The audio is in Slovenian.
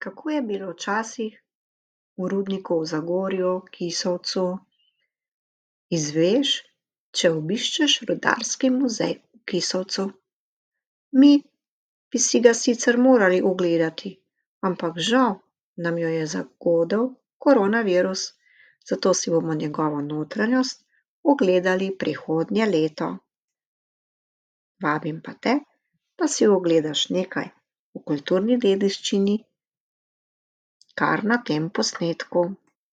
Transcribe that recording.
Kako je bilo včasih v rudniku v Zagorju, Kisovcu, izveš, če obiščeš rudarski muzej v Kisovcu. Mi bi si ga sicer morali ogledati, ampak žal nam jo je zagodel koronavirus, zato si bomo njegovo notranjost ogledali prihodnje leto. Vabim pa te, da si ogledaš nekaj o kulturni dediščini kar na tem posnetku.